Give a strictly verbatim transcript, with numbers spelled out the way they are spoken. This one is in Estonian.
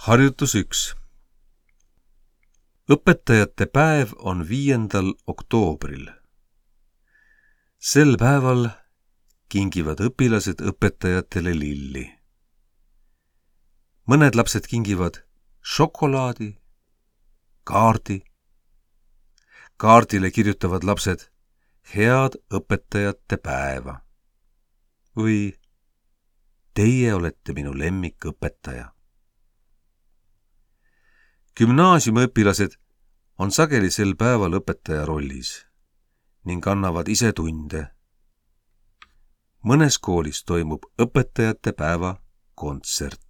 Harjutus üks. Õpetajate päev on viiendal oktoobril. Sel päeval kingivad õpilased õpetajatele lilli. Mõned lapsed kingivad šokolaadi, kaardi. Kaardile kirjutavad lapsed head õpetajate päeva. Või teie olete minu lemmikõpetaja. Gümnaasiumiõpilased on sageli sel päeval õpetaja rollis ning annavad ise tunde. Mõnes koolis toimub õpetajate päeva kontsert.